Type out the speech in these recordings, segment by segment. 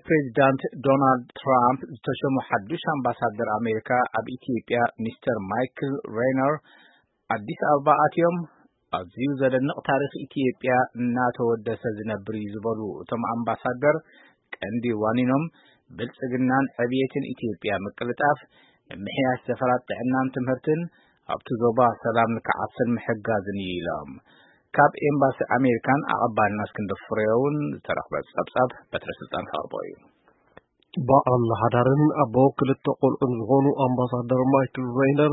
ፕሬዚዳንት ዶናልድ ትራምፕ ዝተሸሙ ሓዱሽ ኣምባሳደር ኣሜሪካ ኣብ ኢትዮጵያ ሚስተር ማይክል ሬነር ኣዲስ ኣበባ ኣትዮም። ኣዝዩ ዘደንቕ ታሪኽ ኢትዮጵያ እናተወደሰ ዝነብር እዩ ዝበሉ እቶም ኣምባሳደር፣ ቀንዲ ዋኒኖም ብልጽግናን ዕብየትን ኢትዮጵያ ምቅልጣፍ፣ ምምሕያሽ ዘፈራት ጥዕናን ትምህርትን፣ ኣብቲ ዞባ ሰላም ንክዓስል ምሕጋዝን እዩ ኢሎም። ካብ ኤምባሲ ኣሜሪካን ኣቐባልና እስክንድር ፍሬውን ዝተረኽበ ጸብጻብ በትረ ስልጣን ከቕርቦ እዩ። በዓል ሓዳርን ኣቦ ክልተ ቆልዑን ዝኾኑ ኣምባሳደር ማይክል ሬይነር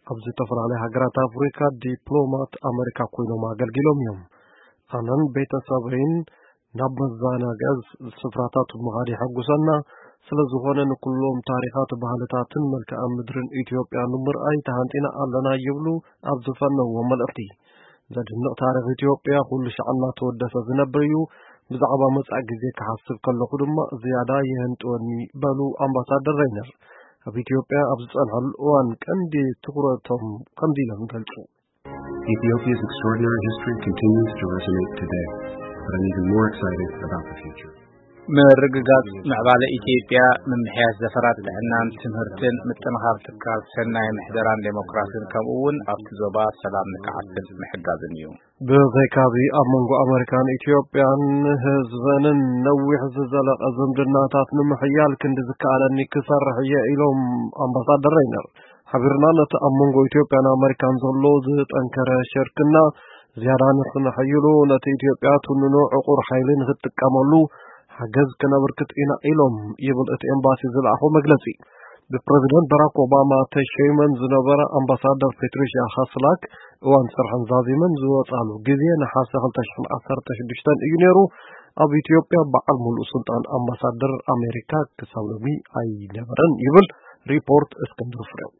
ኣብ ዝተፈላለያ ሃገራት ኣፍሪካ ዲፕሎማት ኣመሪካ ኮይኖም ኣገልጊሎም እዮም። ኣነን ቤተሰበይን ናብ መዘናግዒ ስፍራታት ምኻድ የሐጉሰና። ስለ ዝኾነ ንኩሎም ታሪኻት፣ ባህልታትን መልክዓ ምድርን ኢትዮጵያ ንምርኣይ ተሃንጢና ኣለና ይብሉ ኣብ ዝፈነዎ መልእኽቲ። ዘድንቕ ታሪኽ ኢትዮጵያ ኩሉ ሻዕ እናተወደሰ ዝነብር እዩ። ብዛዕባ መጻኢ ግዜ ክሓስብ ከለኹ ድማ ዝያዳ ይህንጥወኒ በሉ ኣምባሳደር ሬይነር። ኣብ ኢትዮጵያ ኣብ ዝጸንሐሉ እዋን ቀንዲ ትኹረቶም ከምዚ ኢሎም ይገልጹ። Ethiopia's extraordinary history continues to resonate today, but I'm even more excited about the future. ምርግጋጽ ምዕባለ ኢትዮጵያ፣ ምምሕያሽ ዘፈራት ጥዕናን ትምህርትን፣ ምጥንኻር ትካል ሰናይ ምሕደራን ዴሞክራሲን፣ ከምኡ እውን ኣብቲ ዞባ ሰላም ንክዓስል ምሕጋዝን እዩ። ብዘይካዚ ኣብ መንጎ ኣመሪካን ኢትዮጵያን ህዝበንን ነዊሕ ዝዘለቐ ዝምድናታት ንምሕያል ክንዲ ዝከኣለኒ ክሰርሕ እየ ኢሎም ኣምባሳደር ሬይነር። ሓቢርና ነቲ ኣብ መንጎ ኢትዮጵያን ኣመሪካን ዘሎ ዝጠንከረ ሽርክና ዝያዳ ንኽነሐይሉ፣ ነቲ ኢትዮጵያ ትውንኖ ዕቑር ሓይሊ ንኽትጥቀመሉ ሓገዝ ክነበርክት ኢና ኢሎም ይብል እቲ ኤምባሲ ዝለኣኾ መግለጺ። ብፕረዚደንት ባራክ ኦባማ ተሸይመን ዝነበረ ኣምባሳደር ፔትሪሽያ ሃስላክ እዋን ስርሐን ዛዚመን ዝወጻሉ ግዜ ነሓሰ ክልተ ሽሕን ዓሰርተ ሽዱሽተን እዩ ነይሩ። ኣብ ኢትዮጵያ በዓል ሙሉእ ስልጣን ኣምባሳደር ኣሜሪካ ክሳብ ሎሚ ኣይነበረን ይብል ሪፖርት እስክንድር ፍሬው።